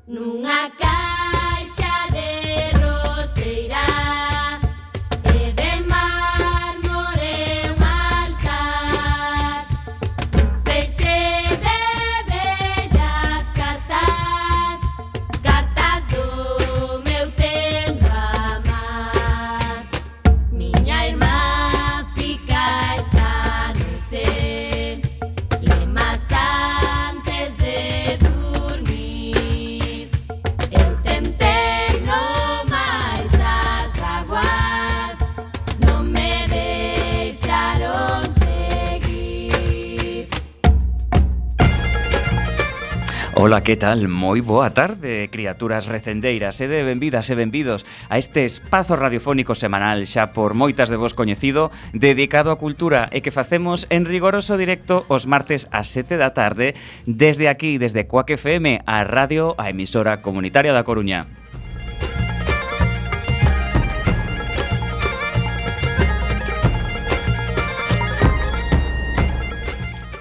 Nunha caixa de roseira e de mármore un altar, un feixe de bellas cartas, cartas do meu tempo amar. Miña irmá fica esta noite lemas antes de dormir. Eu tentei no máis das vaguas, non me deixaron seguir. Ola, que tal? Moi boa tarde, criaturas recendeiras, e benvidas e benvidos a este espazo radiofónico semanal xa por moitas de vos coñecido, dedicado á cultura e que facemos en rigoroso directo os martes ás 7 da tarde desde aquí, desde Cuac FM, a radio, a emisora comunitaria da Coruña.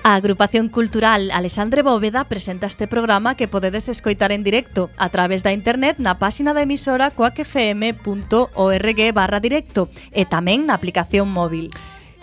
A Agrupación Cultural Alexandre Bóveda presenta este programa que podedes escoitar en directo a través da internet na páxina da emisora coacfm.org/directo e tamén na aplicación móvil.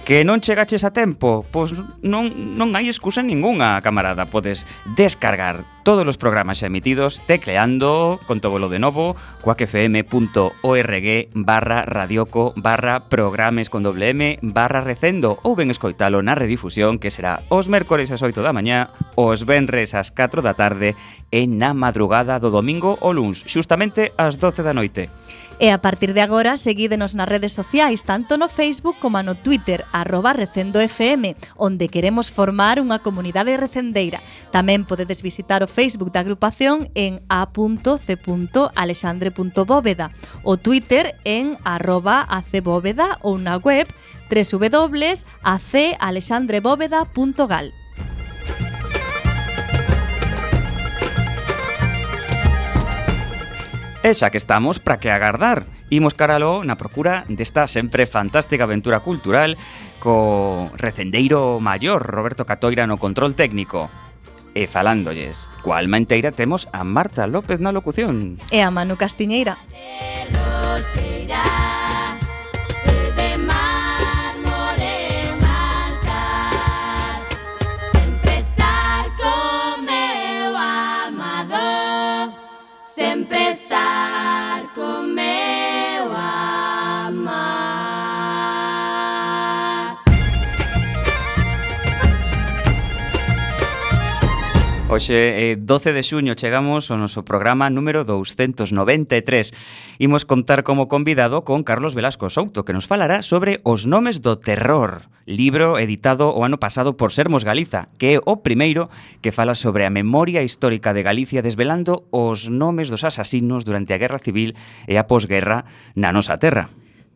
Que non chegaches a tempo? Pois non hai excusa ningunha, camarada. Podes descargar todos os programas xa emitidos tecleando, contóvolo de novo, coacfm.org/radioco/programes con /recendo ou ben escoitalo na redifusión, que será os mércores ás 8 da mañá, os venres ás 4 da tarde e na madrugada do domingo ou luns, xustamente ás 12 da noite. E a partir de agora, seguídenos nas redes sociais, tanto no Facebook como no Twitter, @recendofm, onde queremos formar unha comunidade recendeira. Tamén podedes visitar o Facebook da agrupación en a.c.alexandre.bóveda, o Twitter en @acbóveda ou na web www.acalexandrebóveda.gal. E xa que estamos, para que agardar? Imos caralo na procura desta sempre fantástica aventura cultural co recendeiro maior Roberto Catoira no control técnico. E falándolles coa alma enteira temos a Marta López na locución. E a Manu Castiñeira. Sempre estar con meu amar. Hoxe, 12 de xuño, chegamos ao noso programa número 293. Imos contar como convidado con Carlos Velasco Souto, que nos falará sobre Os nomes do terror, libro editado o ano pasado por Sermos Galiza, que é o primeiro que fala sobre a memoria histórica de Galicia, desvelando os nomes dos asasinos durante a Guerra Civil e a posguerra na nosa terra.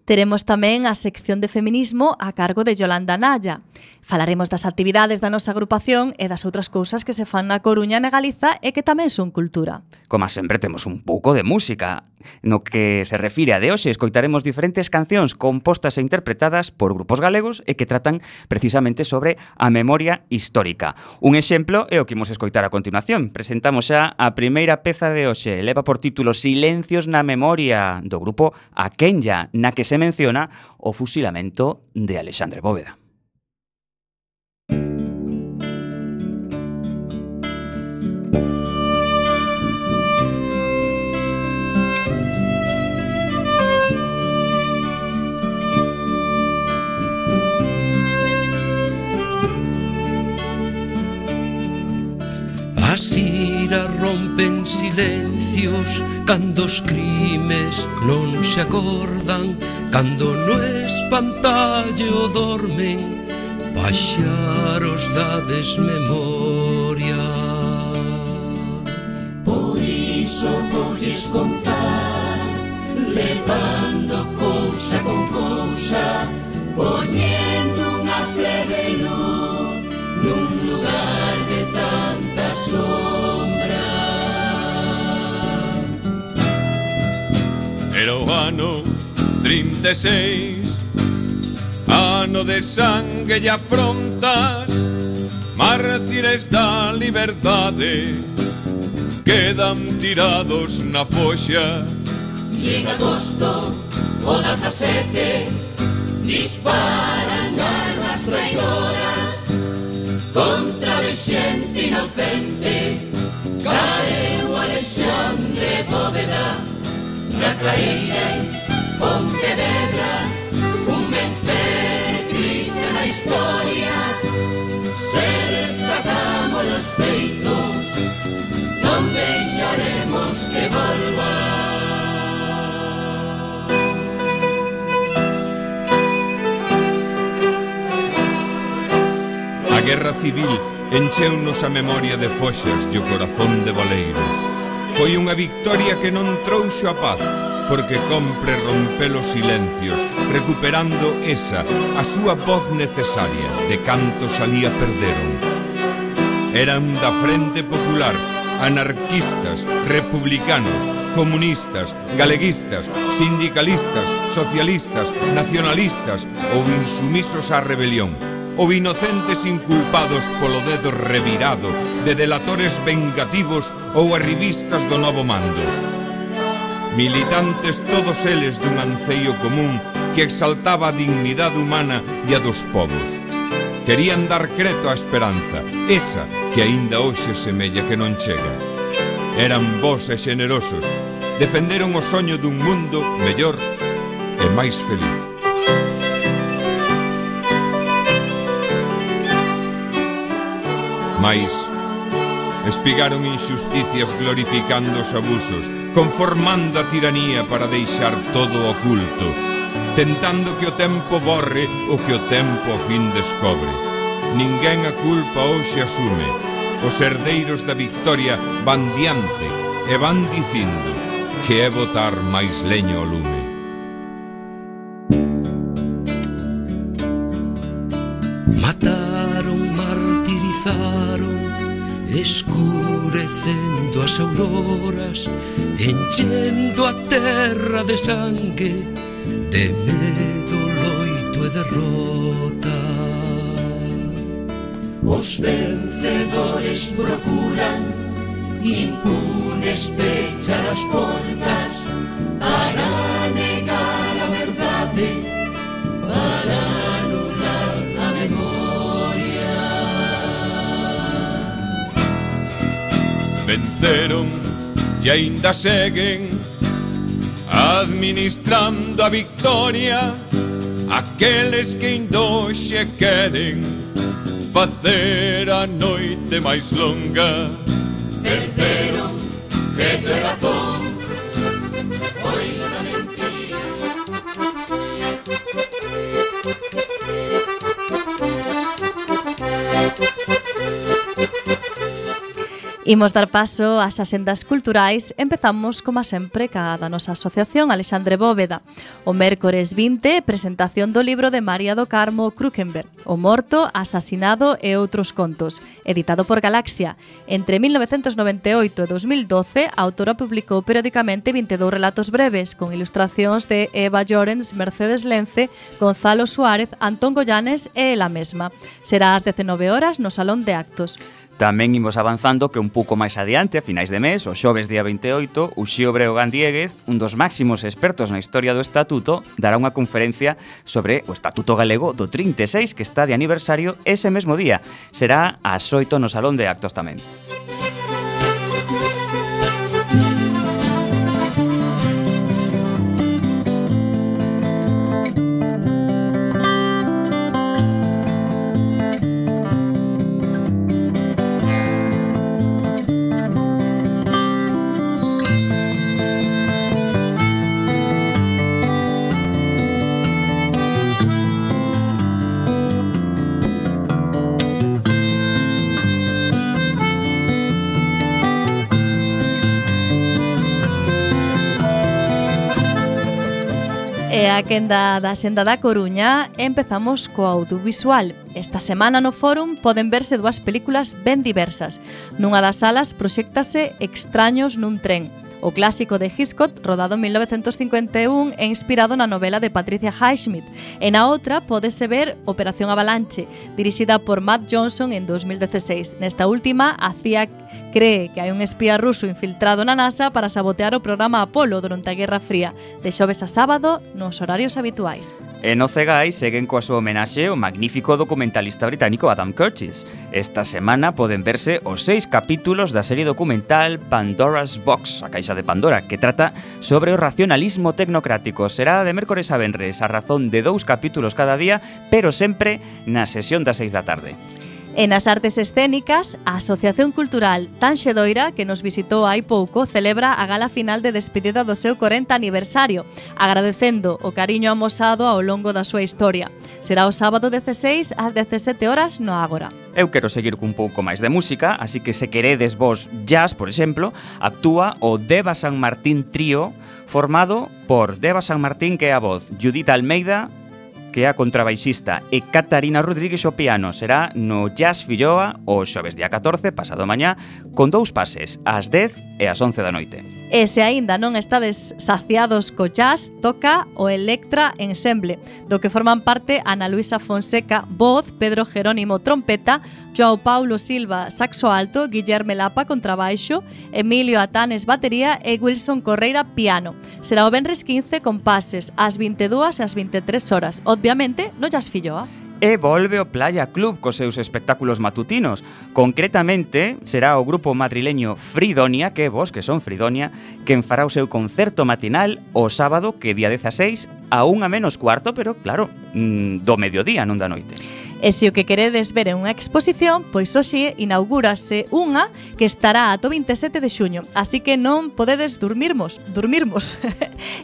Teremos tamén a sección de feminismo a cargo de Yolanda Naya. Falaremos das actividades da nosa agrupación e das outras cousas que se fan na Coruña e na Galiza e que tamén son cultura. Como sempre, temos un pouco de música. No que se refire a de hoxe, escoitaremos diferentes cancións compostas e interpretadas por grupos galegos e que tratan precisamente sobre a memoria histórica. Un exemplo é o que imos escoitar a continuación. Presentamos xa a primeira peza de hoxe. Leva por título Silencios na memoria, do grupo Aquenya, na que se menciona o fusilamento de Alexandre Bóveda. As iras rompen silencios cando os crimes non se acordan, cando no espantallo dormen paxaros da desmemoria. Por iso volles contar, levando cousa con cousa, poñendo unha flebe luz nun lugar de tanta sombra. Era o ano 36, ano de sangue e afrontas, mártires da liberdade, quedan tirados na foxa. E en agosto o 17 disparan armas traidoras contra de xente inocente. Caeu Alexandre Bóveda na Caíra en Pontevedra, un vencer triste na historia. Se rescatamos los feitos, non deixaremos que volva. A guerra civil encheunos a memoria de foxas e o corazón de boleiros. Foi unha victoria que non trouxo a paz, porque compre romper os silencios, recuperando esa, a súa voz necesaria, de cantos alí a perderon. Eran da Frente Popular, anarquistas, republicanos, comunistas, galeguistas, sindicalistas, socialistas, nacionalistas ou insumisos á rebelión, ou inocentes inculpados polo dedo revirado de delatores vengativos ou arribistas do novo mando. Militantes todos eles dun anceio común que exaltaba a dignidade humana e a dos povos. Querían dar creto á esperanza, esa que aínda hoxe semella que non chega. Eran bons e xenerosos, defenderon o soño dun mundo mellor e máis feliz. Mais espigaron injusticias glorificando os abusos, conformando a tiranía para deixar todo oculto, tentando que o tempo borre o que o tempo ao fin descobre. Ninguén a culpa hoxe asume. Os herdeiros da victoria van diante e van dicindo que é botar máis leño ao lume. Mataron, martirizaron, escurecendo as auroras, enchendo a terra de sangue, de medo, loito e derrota. Os vencedores procuran impunes pechar as portas para negar a verdade, para anular a memoria. Venceron e aínda seguen administrando a victoria aqueles que indoxe queren facer a noite máis longa. Perderon credo e razón, pois na mentira. Imos dar paso ás asendas culturais. Empezamos, como sempre, ca da nosa asociación Alexandre Bóveda. O mércores 20, presentación do libro de María do Carmo Krukenberg, O morto, asasinado e outros contos, editado por Galaxia. Entre 1998 e 2012, a autora publicou periódicamente 22 relatos breves, con ilustracións de Eva Llorens, Mercedes Lence, Gonzalo Suárez, Antón Goyanes e ela mesma. Será ás 19 horas no Salón de Actos. Tamén imos avanzando que un pouco máis adiante, a finais de mes, o xoves día 28, Uxío Breogán Diéguez, un dos máximos expertos na historia do Estatuto, dará unha conferencia sobre o Estatuto Galego do 36, que está de aniversario ese mesmo día. Será ás 8 no Salón de Actos tamén. E a quenda da Xenda da Coruña empezamos co audiovisual. Esta semana no Fórum poden verse dúas películas ben diversas. Nunha das salas proxéctase Extraños nun tren, o clásico de Hitchcock, rodado en 1951 e inspirado na novela de Patricia Highsmith. E na outra pódese ver Operación Avalanche, dirixida por Matt Johnson en 2016. Nesta última, a CIA cree que hai un espía ruso infiltrado na NASA para sabotear o programa Apolo durante a Guerra Fría, de xoves a sábado nos horarios habituais. E no Cegai seguen coa súa homenaxe o magnífico documentalista británico Adam Curtis. Esta semana poden verse os 6 capítulos da serie documental Pandora's Box, a caixa de Pandora, que trata sobre o racionalismo tecnocrático. Será de mércores a venres, a razón de 2 capítulos cada día, pero sempre na sesión das 6 da tarde. E nas artes escénicas, a Asociación Cultural Tanxedoira, que nos visitou hai pouco, celebra a gala final de despedida do seu 40 aniversario, agradecendo o cariño amosado ao longo da súa historia. Será o sábado 16 ás 17 horas no Ágora. Eu quero seguir cun pouco máis de música, así que se queredes vos jazz, por exemplo, actúa o Deva San Martín Trío, formado por Deva San Martín, que é a voz, Judith Almeida, que é a contrabaixista, e Catarina Rodríguez o piano. Será no Jazz Filloa o xoves día 14, pasado mañá, con 2 pases, ás 10 e ás 11 da noite. E se aínda non estades saciados co jazz, toca o Electra Ensemble, do que forman parte Ana Luisa Fonseca, voz, Pedro Jerónimo, trompeta, Joao Paulo Silva, saxo alto, Guillerme Lapa, contrabaixo, Emilio Atanes, batería e Wilson Correira, piano. Será o venres 15 con pases ás 22 e ás 23 horas, obviamente no Jazz Filloa. E volve o Playa Club cos seus espectáculos matutinos. Concretamente, será o grupo madrileño Fridonia, que vos que son Fridonia, quen fará o seu concerto matinal o sábado, que día 16, a 1:45, pero claro, do mediodía, non da noite. E se o que queredes ver é unha exposición, pois hoxe inaugúrase unha que estará ata o 27 de xuño, así que non podedes dormirmos.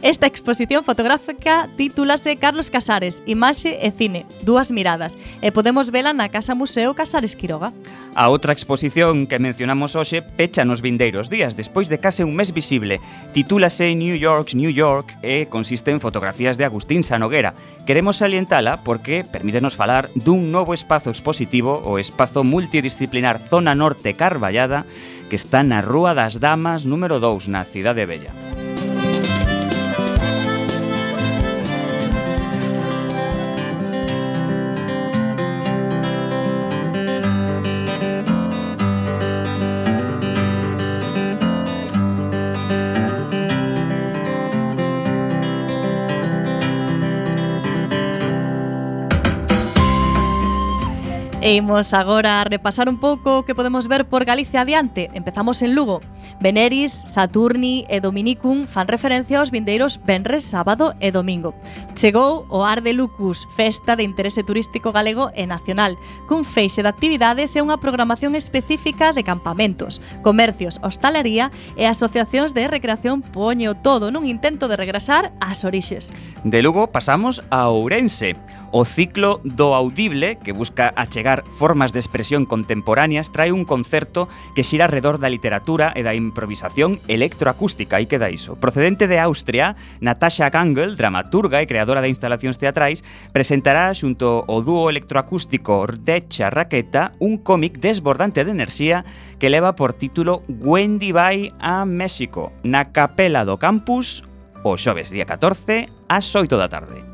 Esta exposición fotográfica titúlase Carlos Casares, Imaxe e Cine, dúas miradas, e podemos vela na Casa Museo Casares Quiroga. A outra exposición que mencionamos hoxe pecha nos vindeiros días, despois de case un mes visible. Titúlase New York, New York, e consiste en fotografías de Agustín Sanoguera. Queremos salientala porque permítenos falar dun novo espazo expositivo, o espazo multidisciplinar Zona Norte Carballada, que está na Rúa das Damas número 2, na Cidade Bella. E imos agora a repasar un pouco o que podemos ver por Galicia adiante. Empezamos en Lugo. Veneris, Saturni e Dominicum fan referencia aos vindeiros venres, sábado e domingo. Chegou o Ar de Lucus, festa de interese turístico galego e nacional, cun feixe de actividades e unha programación específica de campamentos, comercios, hostalería e asociacións de recreación. Poño todo nun intento de regresar ás orixes. De Lugo pasamos a Ourense. O ciclo do audible, que busca achegar formas de expresión contemporáneas, trae un concerto que xira alrededor da literatura e da improvisación electroacústica, aí queda iso. Procedente de Austria, Natasha Gangel, dramaturga e creadora de instalacións teatrais, presentará xunto ao dúo electroacústico Rdecha Raqueta un cómic desbordante de enerxía que leva por título Wendy vai a México, na Capela do Campus, o xoves día 14, ás 8 da tarde.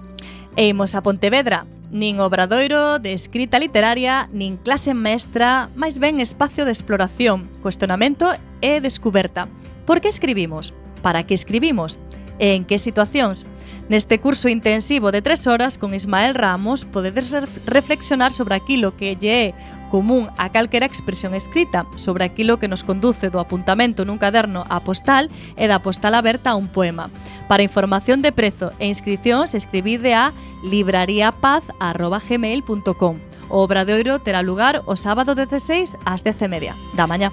E imos a Pontevedra. Nin obradoiro de escrita literaria, nin clase mestra, máis ben espacio de exploración, cuestionamento e descuberta. Por que escribimos? Para que escribimos? E en que situacións? Neste curso intensivo de 3 horas con Ismael Ramos podedes reflexionar sobre aquilo que lle é común a calquera expresión escrita, sobre aquilo que nos conduce do apuntamento nun caderno á postal e da postal aberta a un poema. Para información de prezo e inscripcións, escribide a librariapaz@gmail.com. O obradoiro terá lugar o sábado 16 ás 10:30 da mañá.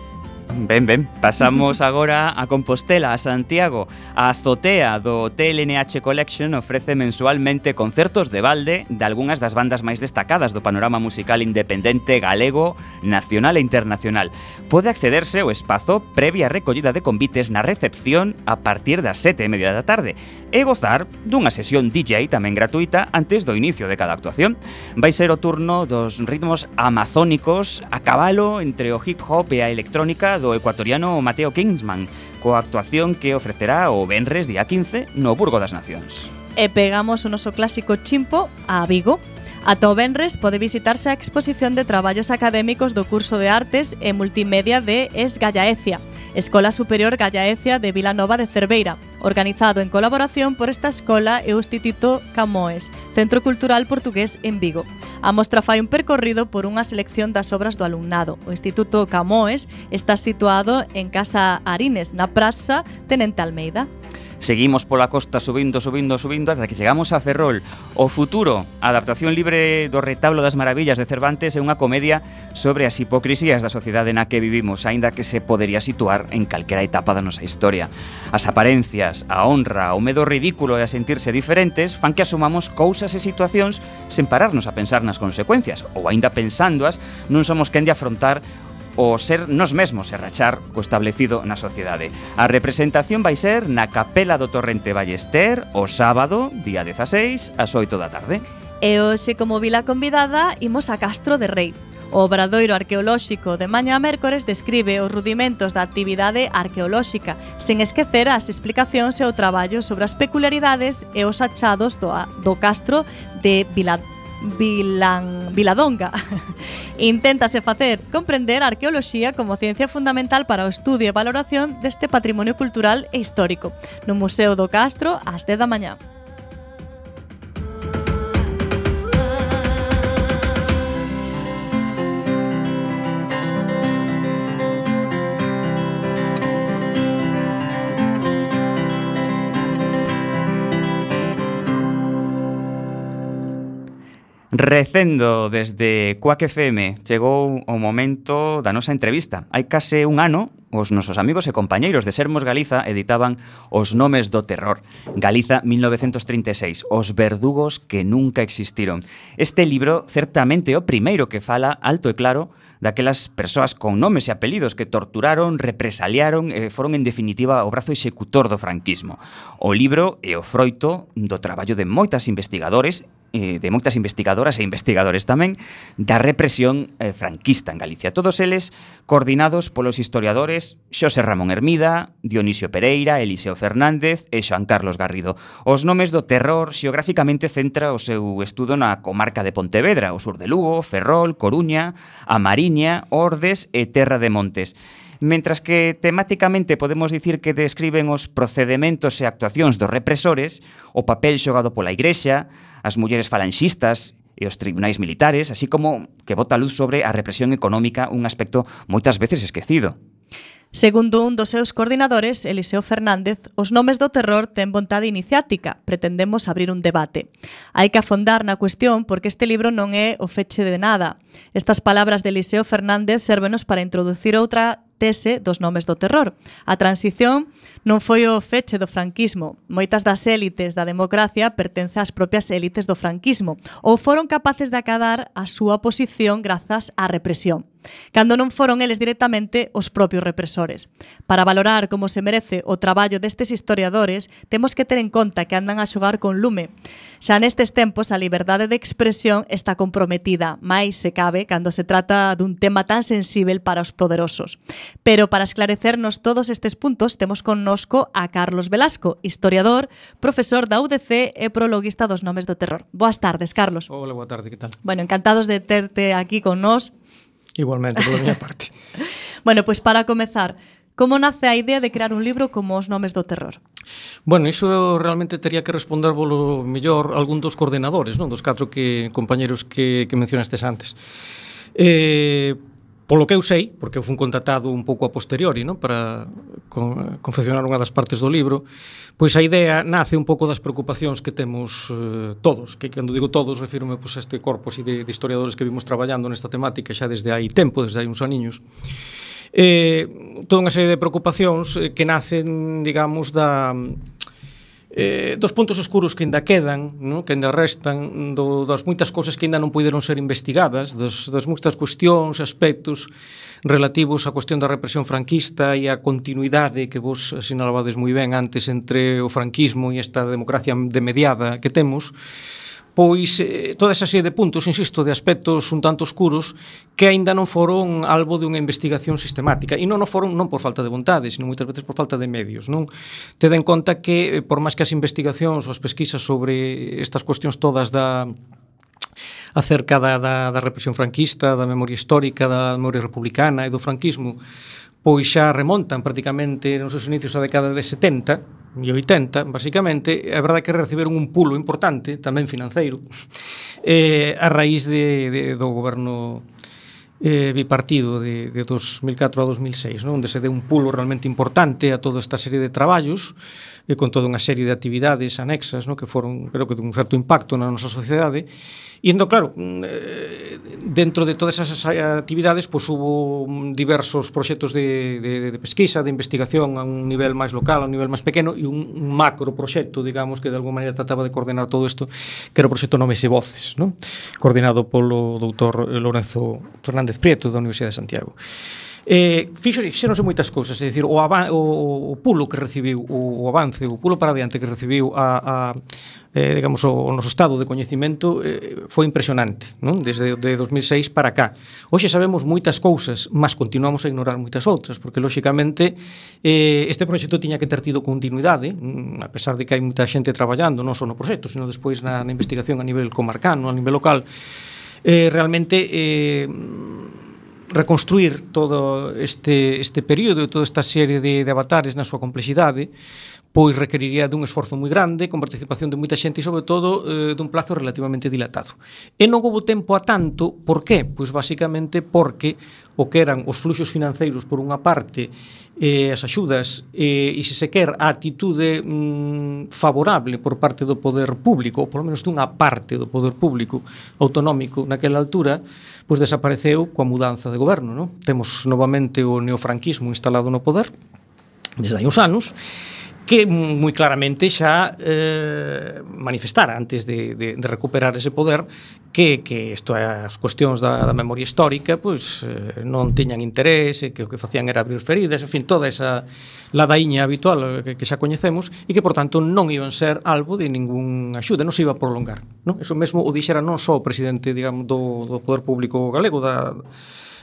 Ben, pasamos agora a Compostela, a Santiago. A azotea do Hotel NH Collection ofrece mensualmente concertos de balde de algunhas das bandas máis destacadas do panorama musical independente galego, nacional e internacional. Pode accederse ao espazo previa recollida de convites na recepción a partir das 7:30 da tarde e gozar dunha sesión DJ tamén gratuita antes do inicio de cada actuación. Vai ser o turno dos ritmos amazónicos a cabalo entre o hip hop e a electrónica do ecuatoriano Mateo Kingsman, coa actuación que ofrecerá o venres día 15 no Burgo das Nacións. E pegamos o noso clásico chimpo a Vigo. Ata o venres pode visitarse a exposición de traballos académicos do curso de Artes e Multimedia de Esgallaecia, Escola Superior Gallaecia de Vilanova de Cerveira, organizado en colaboración por esta escola e o Instituto Camões, Centro Cultural Portugués en Vigo. A mostra fai un percorrido por unha selección das obras do alumnado. O Instituto Camões está situado en Casa Arines, na Praza Tenente Almeida. Seguimos pola costa subindo ata que chegamos a Ferrol. O futuro, a adaptación libre do Retablo das Maravillas de Cervantes é unha comedia sobre as hipocrisías da sociedade na que vivimos, aínda que se podería situar en calquera etapa da nosa historia. As aparencias, a honra, o medo ridículo e a sentirse diferentes fan que asumamos cousas e situacións sen pararnos a pensar nas consecuencias, ou aínda pensándoas non somos quen de afrontar o ser nos mesmos e rachar co establecido na sociedade. A representación vai ser na Capela do Torrente Ballester o sábado, día 16, ás 8 da tarde. E hoxe, como vila convidada, imos a Castro de Rei. O obradoiro arqueolóxico de mañá mércores describe os rudimentos da actividade arqueolóxica, sen esquecer as explicacións e o traballo sobre as peculiaridades e os achados do castro de Viladonga. Inténtase facer comprender a arqueoloxía como ciencia fundamental para o estudio e valoración deste patrimonio cultural e histórico no Museo do Castro ás 10 da mañá. Recendo desde Cuac FM chegou o momento da nosa entrevista. Hai case un ano, os nosos amigos e compañeiros de Sermos Galiza editaban Os nomes do terror, Galiza 1936, os verdugos que nunca existiron. Este libro certamente é o primeiro que fala alto e claro daquelas persoas con nomes e apelidos que torturaron, represaliaron e foron en definitiva o brazo executor do franquismo. O libro é o froito do traballo de moitas investigadoras e investigadores tamén da represión franquista en Galicia. Todos eles coordinados polos historiadores Xosé Ramón Hermida, Dionisio Pereira, Eliseo Fernández e Xoán Carlos Garrido. Os nomes do terror xeográficamente centra o seu estudo na comarca de Pontevedra, o sur de Lugo, Ferrol, Coruña, A Mariña, Ordes e Terra de Montes. Mentras que temáticamente podemos dicir que describen os procedementos e actuacións dos represores, o papel xogado pola Igrexa, as mulleres falanxistas e os tribunais militares, así como que bota luz sobre a represión económica, un aspecto moitas veces esquecido. Segundo un dos seus coordinadores, Eliseo Fernández, os nomes do terror ten vontade iniciática. Pretendemos abrir un debate. Hai que afondar na cuestión porque este libro non é o feche de nada. Estas palabras de Eliseo Fernández sérvenos para introducir outra tese dos nomes do terror. A transición non foi o feche do franquismo. Moitas das élites da democracia pertencen ás propias élites do franquismo ou foron capaces de acadar a súa posición grazas á represión, cando non foron eles directamente os propios represores. Para valorar como se merece o traballo destes historiadores, temos que ter en conta que andan a xogar con lume. Xa nestes tempos a liberdade de expresión está comprometida, máis se cabe cando se trata dun tema tan sensível para os poderosos. Pero para esclarecernos todos estes puntos temos connosco a Carlos Velasco, historiador, profesor da UDC e prologuista dos nomes do terror. Boas tardes, Carlos. Hola, boa tarde, que tal? Bueno, encantados de terte aquí con nós. Igualmente, pola miña parte. Bueno, pois para comezar, como nace a idea de crear un libro como Os nomes do terror? Bueno, iso realmente tería que responder polo mellor algún dos coordenadores, non? Dos 4 compañeros que mencionastes antes. Polo que eu sei, porque eu fui contratado un pouco a posteriori, non? Para confeccionar unha das partes do libro, pois a idea nace un pouco das preocupacións que temos todos, que cando digo todos refírome pois, a este corpo así de historiadores que vimos traballando nesta temática xa desde hai tempo, desde hai uns aniños. Toda unha serie de preocupacións que nacen, digamos, dos puntos oscuros que ainda quedan, non? Que ainda restan, das moitas cousas que ainda non puideron ser investigadas, das moitas cuestións, aspectos relativos á cuestión da represión franquista e a continuidade que vos sinalabades moi ben antes entre o franquismo e esta democracia demediada que temos. Pois toda esa serie de puntos, insisto, de aspectos un tanto oscuros que aínda non foron albo de unha investigación sistemática e non o foron non por falta de vontade, sino moitas veces por falta de medios, non? Ted en conta que por máis que as investigacións ou as pesquisas sobre estas cuestións todas acerca da represión franquista, da memoria histórica, da memoria republicana e do franquismo, pois xa remontan prácticamente nos seus inicios a década de 70 e 80, basicamente. É verdade que reciberon un pulo importante, tamén financeiro, a raíz do goberno bipartido de 2004 a 2006, non? Onde se deu un pulo realmente importante a toda esta serie de traballos, con toda unha serie de actividades anexas, non? Que foron, pero que dun certo impacto na nosa sociedade. E entón, claro, dentro de todas esas actividades, pois hubo diversos proxectos de pesquisa, de investigación a un nivel máis local, a un nivel máis pequeno, e un macro proxecto, digamos, que de alguma maneira trataba de coordenar todo isto, que era o proxecto Nomes e Voces, non? Coordinado polo doutor Lorenzo Fernández Prieto da Universidade de Santiago. Fixeronse moitas cousas, é dicir, o pulo que recibiu, o avance, o pulo para adiante que recibiu digamos, o noso estado de coñecemento foi impresionante, non? Desde 2006 para cá. Hoxe sabemos moitas cousas, mas continuamos a ignorar moitas outras, porque lóxicamente este proxecto tiña que ter tido continuidade, a pesar de que hai moita xente traballando non só no proxecto, sino despois na investigación a nivel comarcano, a nivel local. Realmente reconstruir todo este período e toda esta serie de avatares na súa complexidade pois requeriría dun esforzo moi grande, con participación de moita xente e, sobre todo, dun plazo relativamente dilatado. E non houve tempo a tanto, por qué? Pois basicamente porque o que eran os fluxos financeiros por unha parte, as axudas e se se quer a atitude favorable por parte do poder público, ou polo menos dunha parte do poder público autonómico naquela altura, pois desapareceu coa mudanza de goberno, non? Temos novamente o neofranquismo instalado no poder desde hai uns anos, que moi claramente xa manifestara antes de recuperar ese poder que isto é as cuestións da memoria histórica pois non tiñan interés, que o que facían era abrir feridas, en fin, toda esa ladaíña habitual que xa coñecemos e que, por tanto, non iban ser albo de ningún axuda, non se iba a prolongar, non? Eso mesmo o dixera non só o presidente, digamos, do Poder Público Galego da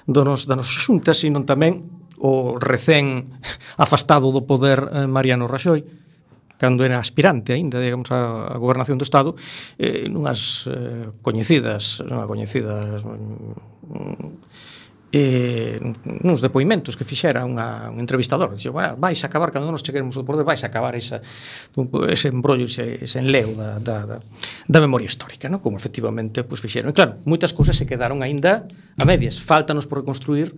nosa xunta, sino tamén o recén afastado do poder Mariano Raxoi, cando era aspirante aínda, digamos, a gobernación do Estado, nuns depoimentos que fixera un entrevistador. Dixo, bueno, vais a acabar, cando nos cheguemos ao poder, vais a acabar ese embrollo, ese enleo da memoria histórica, ¿no? Como efectivamente pues, fixeron. E claro, moitas cousas se quedaron aínda a medias. Fáltanos por reconstruir,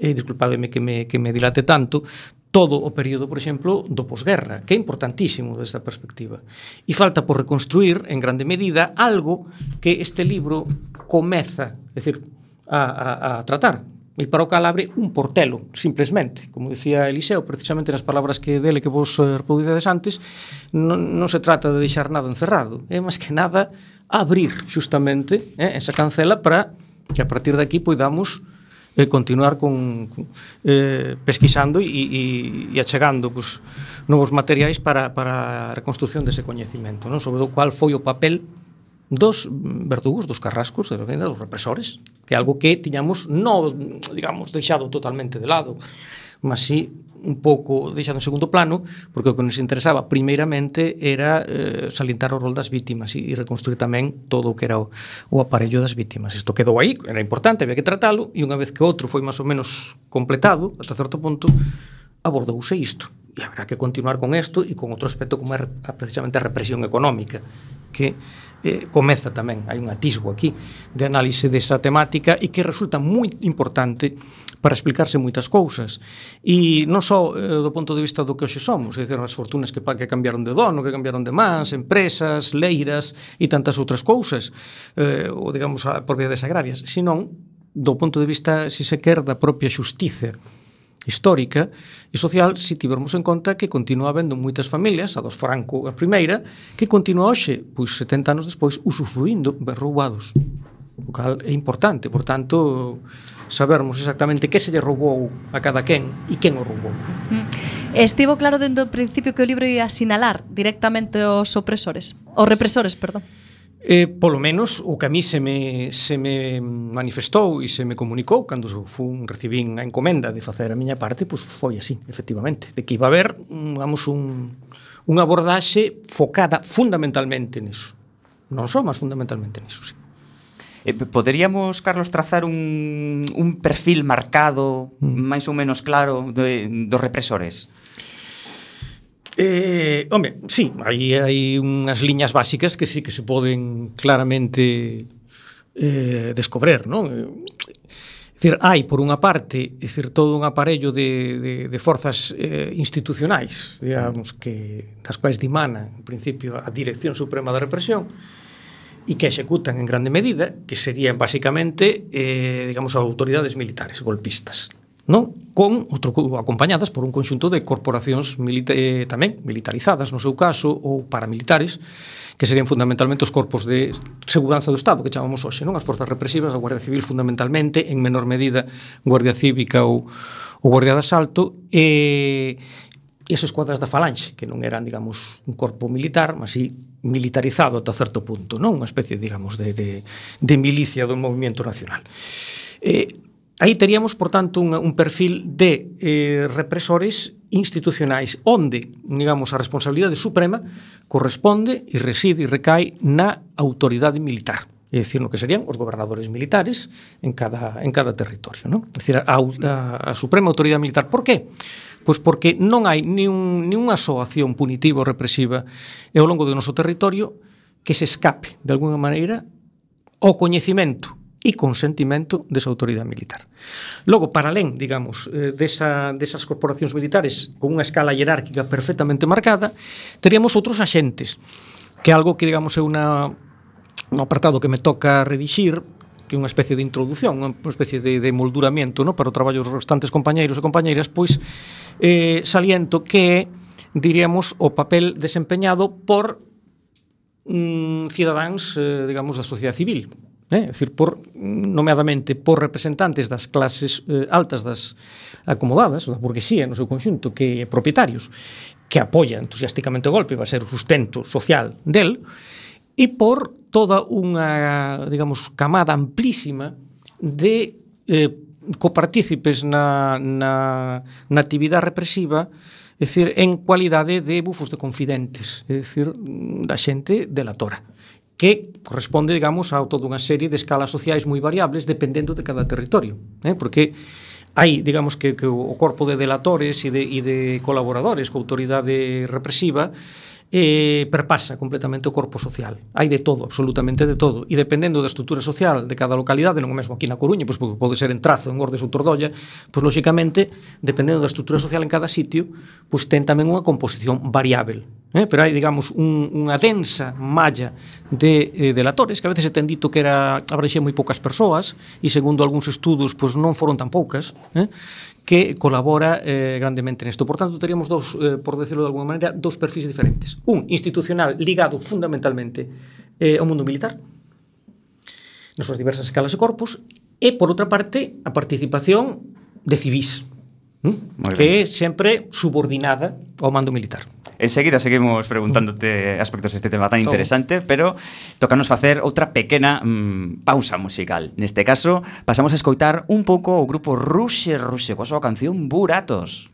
disculpademe que me dilate tanto, todo o período, por exemplo, do posguerra, que é importantísimo desde a perspectiva. E falta por reconstruir, en grande medida, algo que este libro comeza, é dicir, a tratar. E para o cal abre un portelo, simplesmente. Como dicía Eliseo, precisamente nas palabras que dele que vos reproducides antes, non se trata de deixar nada encerrado, é máis que nada abrir, justamente, esa cancela para que a partir de aquí poidamos continuar pesquisando e achegando pues, novos materiais para a reconstrucción dese coñecimento, non? Sobre o cual foi o papel dos verdugos, dos carrascos, dos represores, que é algo que tiñamos non, digamos, deixado totalmente de lado, mas sí un pouco deixado en segundo plano, porque o que nos interesaba primeiramente era salientar o rol das vítimas e reconstruir tamén todo o que era o aparello das vítimas. Isto quedou aí, era importante, había que tratalo, e unha vez que outro foi máis ou menos completado, ata certo punto, abordouse isto. E habrá que continuar con isto e con outro aspecto como é precisamente a represión económica, que comeza tamén, hai un atisbo aquí de análise desa temática e que resulta moi importante para explicarse moitas cousas e non só do punto de vista do que hoxe somos, é dicir, as fortunas que cambiaron de dono, que cambiaron de mans, empresas, leiras e tantas outras cousas, ou digamos a propiedades agrarias, senón do punto de vista, se se quer, da propia xustiza histórica e social, se tivermos en conta que continúa habendo moitas familias, a dos Franco a primeira, que continúa hoxe, pois 70 anos despois, usufruindo ben roubados, o cal é importante, por tanto sabermos exactamente que se lle roubou a cada quen e quen o roubou. Estivo claro dende o principio que o libro ia asinalar directamente os represores, perdón. Polo menos o que a mí se me manifestou e se me comunicou cando recibín a encomenda de facer a miña parte, pois foi así, efectivamente, de que iba a haber, digamos, unha abordaxe focada fundamentalmente niso. Non só, mas fundamentalmente niso, sí. Poderíamos, Carlos, trazar un perfil marcado, máis ou menos claro, dos represores? Home, sí, hai unhas liñas básicas que sí que se poden claramente descobrir, non? É dicir, hai, por unha parte, é dicir, todo un aparello de forzas institucionais, digamos, das quais dimana, en principio, a Dirección Suprema da Represión, e que executan en grande medida, que serían, basicamente, digamos, autoridades militares, golpistas, non? Acompañadas por un conxunto de corporacións tamén militarizadas, no seu caso, ou paramilitares, que serían fundamentalmente os corpos de seguranza do Estado, que chamamos hoxe, non? As forzas represivas, a Guardia Civil fundamentalmente, en menor medida Guardia Cívica ou Guardia de Asalto, e as escuadras da Falanxe, que non eran, digamos, un corpo militar, mas sí militarizado ata certo punto, non? Unha especie, digamos, de milicia do movimento nacional. Aí teríamos, por tanto, un perfil de represores institucionais onde, digamos, a responsabilidade suprema corresponde e reside e recae na autoridade militar, é dicir, no que serían os gobernadores militares en cada territorio, non? É dicir, a suprema autoridade militar. Por qué? Pois porque non hai ni unha só acción punitiva ou represiva ao longo do noso territorio que se escape, de alguna maneira, ao coñecimento e consentimento desa autoridade militar. Logo, para alén, digamos, desas corporacións militares con unha escala hierárquica perfectamente marcada, teríamos outros axentes, que é algo que, digamos, é un apartado que me toca redixir, que é unha especie de introdución, unha especie de molduramento, no, para o traballo dos restantes compañeiros e compañeiras, pois saliento que é, diríamos, o papel desempeñado por cidadáns, digamos, da sociedade civil, é dicir, nomeadamente por representantes das clases altas das acomodadas, da burguesía no seu conxunto, que propietarios, que apoia entusiásticamente o golpe, vai ser o sustento social del, e por toda unha, digamos, camada amplísima de copartícipes na actividade represiva, é dicir, en cualidade de bufos de confidentes, é dicir, da xente delatora, que corresponde, digamos, a toda unha serie de escalas sociais moi variables dependendo de cada territorio, porque hai, digamos, que o corpo de delatores e de colaboradores coa autoridade represiva perpasa completamente o corpo social. Hai de todo, absolutamente de todo. E dependendo da estrutura social de cada localidade, non o mesmo aquí na Coruña, pois pode ser en Trazo, en Ordes ou Tordolla, pois lóxicamente, dependendo da estrutura social en cada sitio, pois ten tamén unha composición variável. Pero hai, digamos, unha densa malla de delatores, que a veces se ten dito que abrexía moi poucas persoas, e segundo algúns estudos, pois non foron tan poucas, que colabora grandemente nesto. Por tanto, teríamos por decirlo de alguna maneira, dos perfis diferentes. Un institucional ligado fundamentalmente ao mundo militar, nas súas diversas escalas e corpos, e, por outra parte, a participación de civís, que é sempre subordinada ao mando militar. Enseguida seguimos preguntándote aspectos deste tema tan interesante, pero tócanos facer outra pequena pausa musical. Neste caso, pasamos a escoitar un pouco o grupo Ruxe coa súa canción Buratos.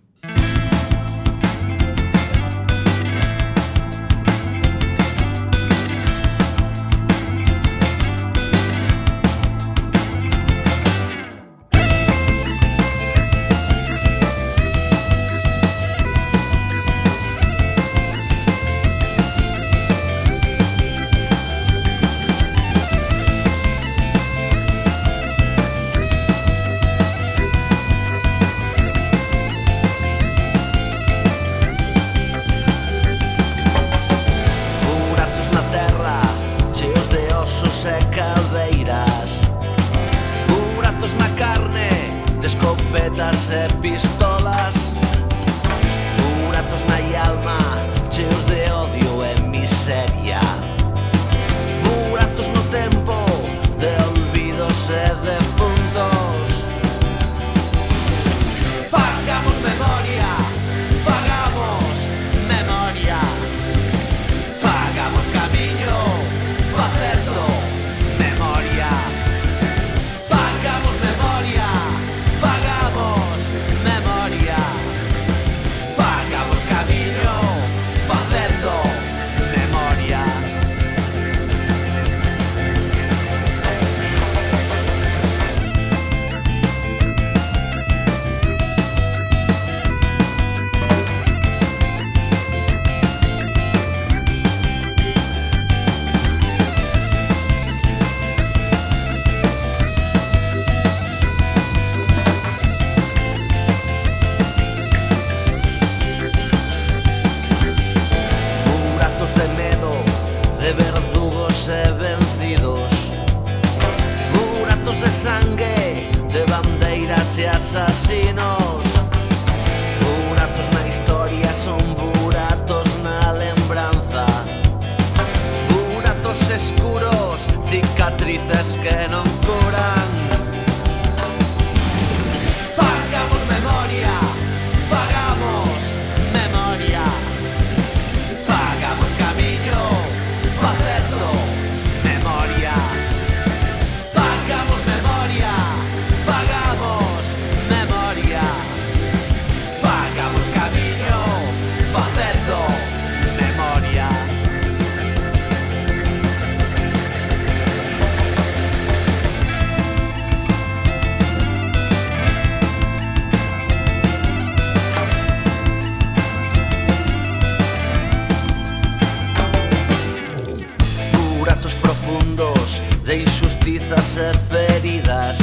e feridas.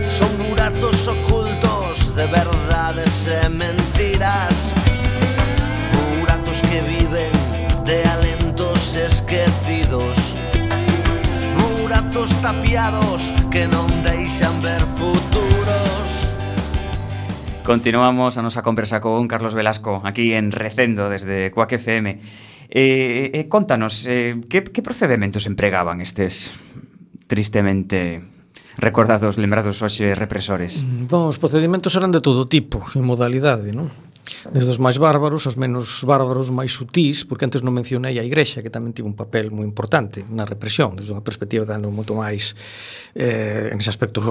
Son buratos ocultos de verdades e mentiras, buratos que viven de alentos esquecidos, buratos tapiados que non deixan ver futuros. Continuamos a nosa conversa con Carlos Velasco aquí en Recendo desde Cuac FM. Contanos, que procedementos empregaban estes tristemente recordados, lembrados hoxe represores? Bom, os procedimentos eran de todo tipo e modalidade, non? Desde os máis bárbaros aos menos bárbaros, máis sutís, porque antes non mencionei a Igrexa, que tamén tivo un papel moi importante na represión, desde unha perspectiva dando moito máis en ese aspecto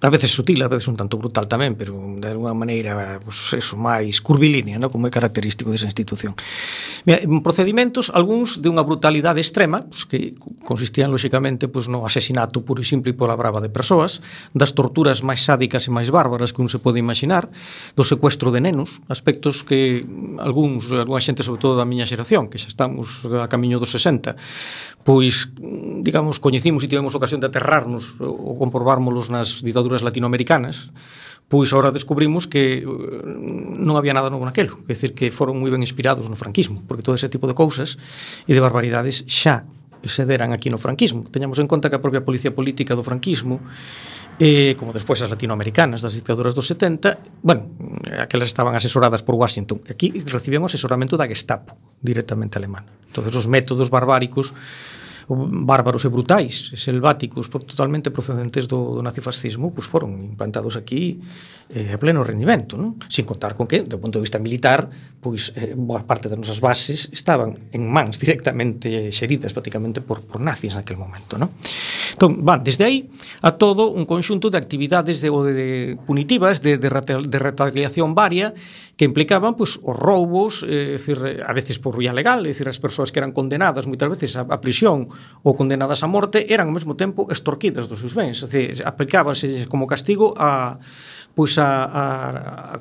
a veces sutil, a veces un tanto brutal tamén, pero de alguna maneira pues, eso, máis curvilínea, ¿no? Como é característico desa institución. Mira, procedimentos, algúns de unha brutalidade extrema, pues, que consistían lóxicamente pues, no asesinato puro e simple pola brava de persoas, das torturas máis sádicas e máis bárbaras que un se pode imaginar, do secuestro de nenos, aspectos que algunha xente, sobre todo da miña xeración, que xa estamos a camiño dos 60, pois, digamos, coñecimos e tivemos ocasión de aterrarnos ou comprobármolos nas ditaduras latinoamericanas, pois ahora descubrimos que non había nada novo naquelo, é dicir, que foron moi ben inspirados no franquismo, porque todo ese tipo de cousas e de barbaridades xa se deran aquí no franquismo. Teñamos en conta que a propia policía política do franquismo, como despois as latinoamericanas das dictaduras dos 70, bueno, aquelas estaban asesoradas por Washington, aquí recibían o asesoramento da Gestapo, directamente alemana. Entonces os métodos barbáricos, bárbaros e brutais, selváticos, totalmente procedentes do nazifascismo, pues foron implantados aquí a pleno rendimento, non? Sin contar con que, do punto de vista militar, pois boa parte das nosas bases estaban en mans directamente xeridas prácticamente por nazis naquele momento, non? Entón, van desde aí a todo un conxunto de actividades de punitivas, de retaliación varia, que implicaban pues, os roubos, decir, a veces por vía legal, é dicir, as persoas que eran condenadas moitas veces a prisión ou condenadas a morte eran ao mesmo tempo extorquidas dos seus bens, é dicir, aplicábase como castigo a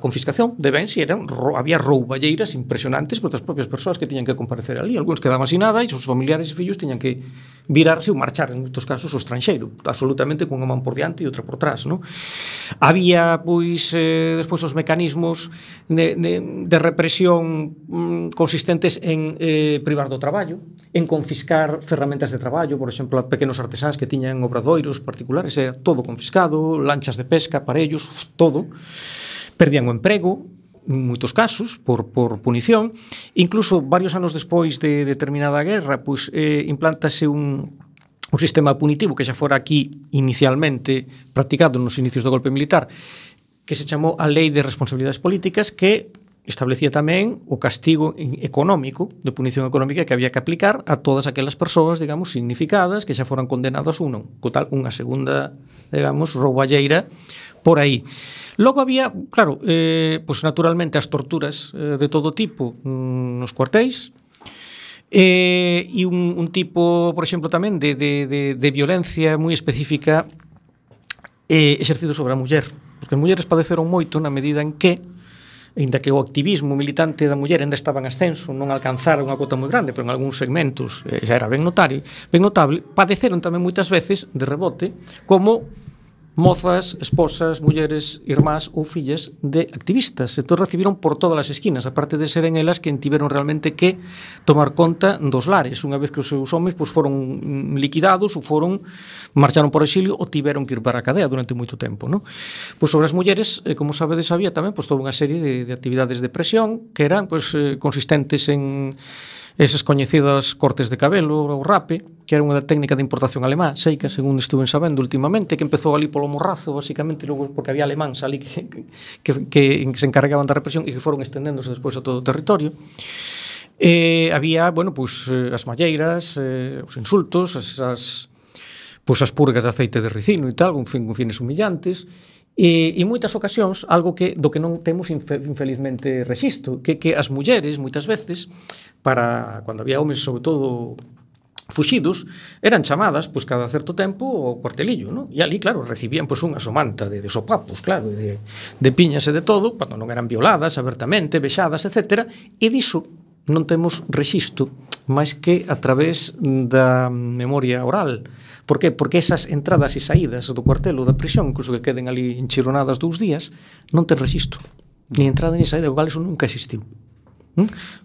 confiscación de bens e había rouballeiras impresionantes por as propias persoas que tiñan que comparecer ali. Algúns quedaban sin nada e os familiares e fillos tiñan que virarse ou marchar, en moitos casos, ao estranxeiro, absolutamente cunha man por diante e outra por trás, non? Había, pois, despois os mecanismos de represión consistentes en privar do traballo, en confiscar ferramentas de traballo, por exemplo, a pequenos artesáns que tiñan obradoiros particulares, era todo confiscado, lanchas de pesca, aparellos, todo, perdían o emprego, en moitos casos, por punición. Incluso, varios anos despois de determinada guerra, pues, implántase un sistema punitivo que xa fora aquí inicialmente practicado nos inicios do golpe militar, que se chamou a Lei de Responsabilidades Políticas, que establecía tamén o castigo económico, de punición económica que había que aplicar a todas aquelas persoas, digamos, significadas, que xa foran condenadas unha segunda, digamos, rouballeira por aí. Logo había, claro, pues naturalmente as torturas de todo tipo nos cuartéis, e un tipo, por exemplo, tamén de violencia moi específica exercido sobre a muller, porque as mulleres padeceron moito na medida en que, ainda que o activismo militante da muller ainda estaba en ascenso, non alcanzara unha cota moi grande, pero en algúns segmentos xa era ben notable, padeceron tamén moitas veces de rebote como mozas, esposas, mulleres, irmás ou fillas de activistas. Entón recibiron por todas as esquinas, aparte de seren elas que tiveron realmente que tomar conta dos lares, unha vez que os seus homes pues, foron liquidados ou marcharon por exilio ou tiveron que ir para a cadea durante moito tempo, ¿no? Pues sobre as mulleres, como sabedes, había tamén pues, toda unha serie de actividades de presión que eran pues, consistentes en esas coñecidas cortes de cabelo ou rape, que era unha técnica de importación alemá, seica, según estuven sabendo últimamente, que empezou ali polo morrazo, basicamente, logo porque había alemáns ali que se encarregaban da represión e que foron estendéndose despois a todo o territorio. Había, bueno, pues, as malleiras, os insultos, as purgas de aceite de ricino e tal, con fines humillantes, e en moitas ocasións, algo do que non temos infelizmente rexistro, que as mulleres, moitas veces, para cando había homes, sobre todo fuxidos, eran chamadas pues, cada certo tempo ao cuartelillo, ¿no? E ali, claro, recibían pues, unha somanta de sopapos, claro, de piñas e de todo, cando non eran violadas abertamente, vexadas, etc. E diso non temos rexistro máis que a través da memoria oral. Por que? Porque esas entradas e saídas do cuartel ou da prisión, incluso que queden ali enchironadas 2 días, non ten rexistro. Ni entrada ni saída, igual eso nunca existiu.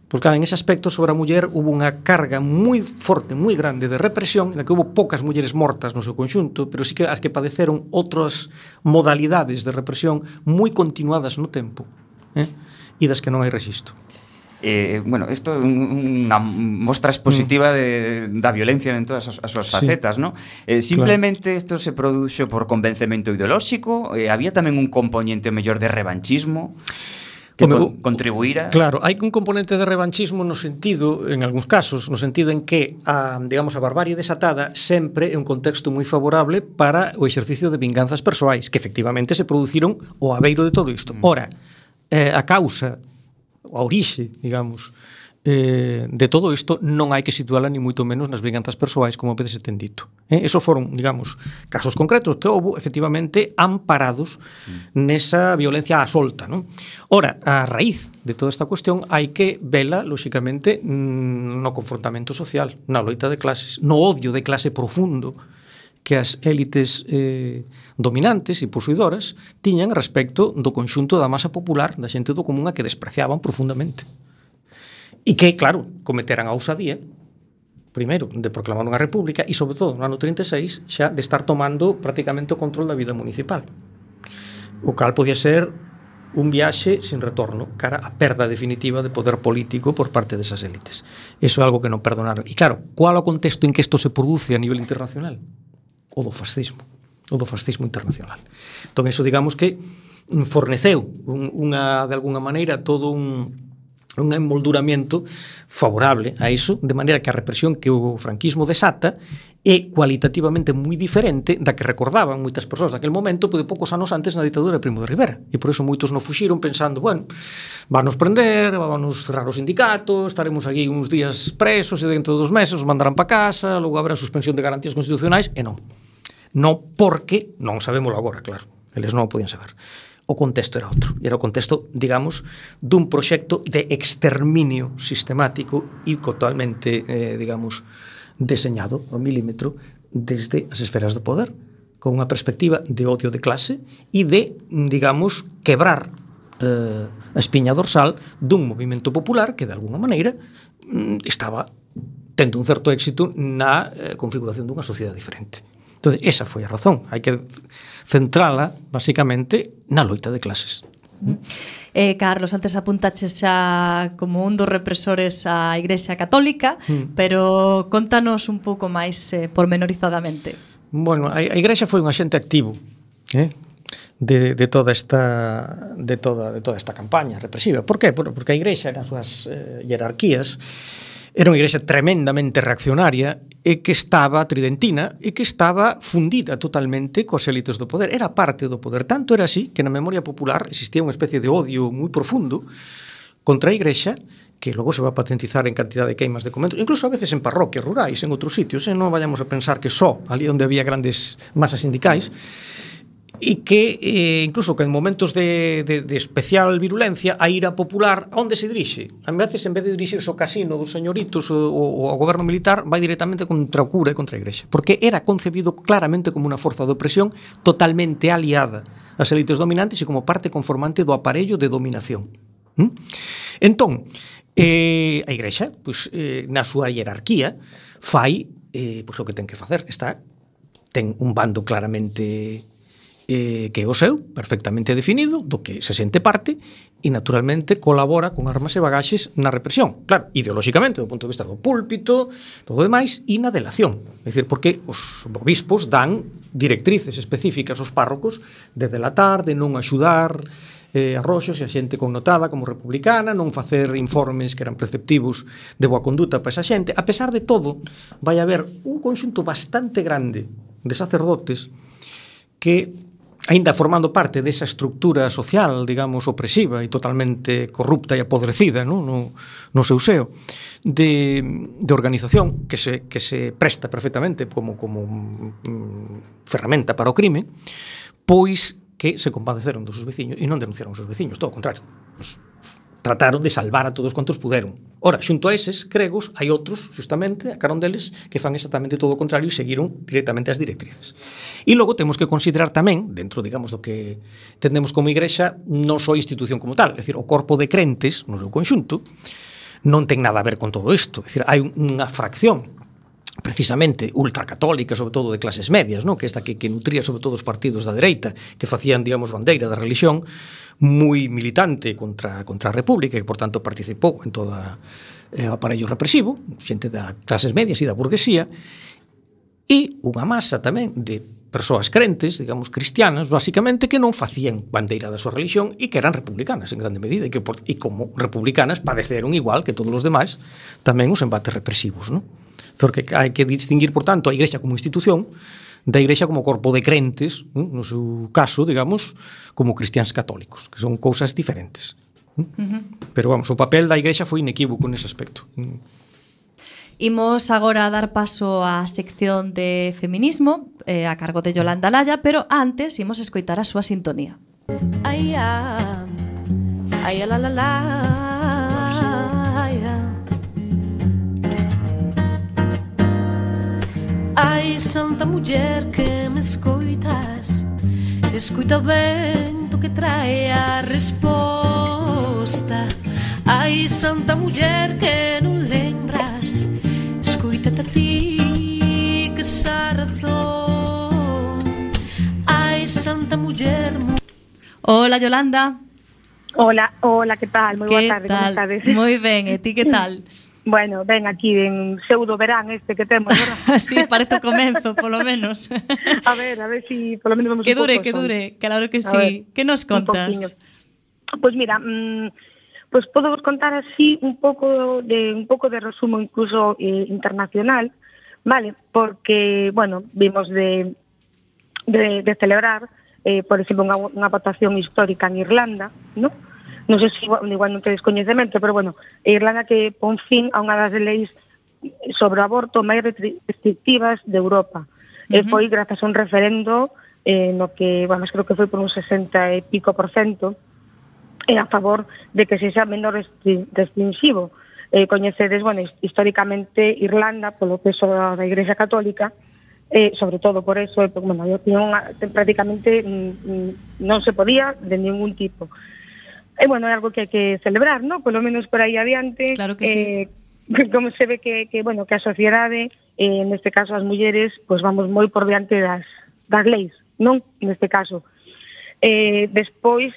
Porque en ese aspecto sobre a muller hubo unha carga moi forte, moi grande de represión, na que hubo poucas mulleres mortas no seu conxunto, pero sí que as que padeceron outras modalidades de represión moi continuadas no tempo, e das que non hai rexistro. Bueno, isto é unha mostra expositiva da violencia en todas as súas facetas, ¿no? Simplemente isto se produxo por convencemento ideolóxico, había tamén un componente mellor de revanchismo que contribuíra. Claro, hai un componente de revanchismo no sentido, en algúns casos, no sentido en que a barbarie desatada sempre é un contexto moi favorable para o exercicio de vinganzas persoais, que efectivamente se produciron ao abeiro de todo isto. Ora, a causa, a orixe, digamos, de todo isto non hai que situala ni moito menos nas vinganzas persoais, como veces se ten dito. Eso foron, digamos, casos concretos que houve efectivamente amparados nesa violencia á solta, non? Ora, a raíz de toda esta cuestión hai que vela, lóxicamente, no confrontamento social, na loita de clases, no odio de clase profundo que as élites dominantes e posuidoras tiñan respecto do conxunto da masa popular, da xente do común a que despreciaban profundamente. E que, claro, cometeran a ousadía, primeiro, de proclamar unha república e, sobre todo, no ano 36, xa de estar tomando prácticamente o control da vida municipal. O cal podía ser un viaxe sin retorno cara a perda definitiva de poder político por parte desas élites. Eso é algo que non perdonaron. E claro, qual é o contexto en que isto se produce a nivel internacional? O do fascismo internacional. Entón, eso, digamos que forneceu de alguna maneira todo un emolduramento favorable a iso, de maneira que a represión que o franquismo desata é cualitativamente moi diferente da que recordaban moitas persoas daquele momento, de poucos anos antes na ditadura de Primo de Rivera. E por iso moitos non fuxiron pensando, bueno, vanos prender, vanos cerrar os sindicatos, estaremos aquí uns días presos e dentro de 2 meses os mandarán para casa, logo habrá suspensión de garantías constitucionais, e non. Non porque, non sabémoslo agora, claro, eles non o podían saber. O contexto era outro, e era o contexto, digamos, dun proxecto de exterminio sistemático e totalmente, digamos, deseñado ao milímetro desde as esferas do poder, con unha perspectiva de odio de clase e de, digamos, quebrar a espiña dorsal dun movimento popular que, de alguna maneira, estaba tendo un certo éxito na configuración dunha sociedade diferente. Entón, esa foi a razón. Hai que centrala, basicamente, na loita de clases. Carlos, antes apuntaches xa como un dos represores a Igrexa Católica, pero contanos un pouco máis pormenorizadamente. Bueno, a Igrexa foi un axente activo de toda esta campaña represiva. Por qué? Porque a Igrexa nas súas jerarquías era unha igrexa tremendamente reaccionaria e que estaba tridentina e que estaba fundida totalmente coas élites do poder. Era parte do poder. Tanto era así que na memoria popular existía unha especie de odio moi profundo contra a igrexa, que logo se va a patentizar en cantidad de queimas de conventos, incluso a veces en parroquias rurais, en outros sitios, non vayamos a pensar que só ali onde había grandes masas sindicais, e que incluso que en momentos de especial virulencia a ira popular onde se dirixe? A veces en vez de dirixirse ao casino dos señoritos ou ao goberno militar vai directamente contra o cura e contra a igrexa, porque era concebido claramente como unha forza de opresión totalmente aliada ás élites dominantes e como parte conformante do aparello de dominación. Entón, a igrexa, na súa hierarquía fai o que ten que facer. Ten un bando claramente que é o seu, perfectamente definido, do que se sente parte e, naturalmente, colabora con armas e bagaxes na represión. Claro, ideolóxicamente, do punto de vista do púlpito, todo o demais, e na delación. É dicir, porque os obispos dan directrices específicas aos párrocos de delatar, de non axudar arroxos e a xente connotada como republicana, non facer informes que eran preceptivos de boa conduta para esa xente. A pesar de todo, vai haber un conxunto bastante grande de sacerdotes que, aínda formando parte desa estructura social, digamos, opresiva e totalmente corrupta e apodrecida no seu seo, de organización que se presta perfectamente como ferramenta para o crime, pois que se compadeceron dos seus veciños e non denunciaron os seus veciños, todo o contrario. trataron de salvar a todos cuantos puderon. Ora, xunto a eses gregos, hai outros, justamente, a carón deles, que fan exactamente todo o contrario e seguiron directamente as directrices. E logo temos que considerar tamén, dentro, digamos, do que entendemos como igrexa, non só a institución como tal, é dicir, o corpo de crentes, no seu conxunto, non ten nada a ver con todo isto. É dicir, hai unha fracción precisamente ultracatólica, sobre todo de clases medias, ¿no? Que esta que nutría sobre todo os partidos da dereita, que facían, digamos, bandeira da religión, moi militante contra a República, e, por tanto, participou en todo o aparello represivo, xente da clases medias e da burguesía, e unha masa tamén de persoas crentes, digamos, cristianas, basicamente, que non facían bandeira da súa religión e que eran republicanas, en grande medida, e como republicanas padeceron igual que todos os demais tamén os embates represivos, ¿no? Porque hai que distinguir, por tanto, a Igrexa como institución da Igrexa como corpo de crentes, no seu caso, digamos, como cristiáns católicos, que son cousas diferentes. Pero, vamos, o papel da Igrexa foi inequívoco nese aspecto. Imos agora a dar paso á sección de feminismo a cargo de Yolanda Laya, pero antes imos escoitar a súa sintonía. Ai, ai, la, la, la, ai, ai, santa muller que me escoitas, escoita o vento que trae a resposta. Ai, santa muller que non lembras, escoítate a ti que sa razón. Ai, santa muller. Hola, Yolanda. Hola, que tal? Moi boa tarde, como estades? Moi ben, e ti que tal? Bueno, ven aquí en pseudo verán este que temos, verdad? Sí, parece o comenzo, polo menos. A ver si polo menos vamos que un pouco. Que dure, claro que sí. Que nos contas? Pois mira, pois podo vos contar así un pouco de resumo incluso internacional, vale? Porque, bueno, vimos de celebrar, por exemplo, unha votación histórica en Irlanda, ¿no? Non sei se igual non tedes coñecemento, pero bueno, Irlanda que pon fin a unha das leis sobre o aborto máis restrictivas de Europa. Foi grazas a un referendo no que, bueno, creo que foi por un 60 e pico % a favor de que se xa menos restringivo. Coñecedes, bueno, históricamente Irlanda, polo peso da Igrexa Católica, sobre todo por eso, bueno, prácticamente non se podía de ningún tipo. E, bueno, é algo que hai que celebrar, ¿no? Polo menos por aí adiante. Claro que sí. Como se ve que a sociedade, neste caso as mulleres, pues vamos moi por diante das leis, non? Neste caso. Despois,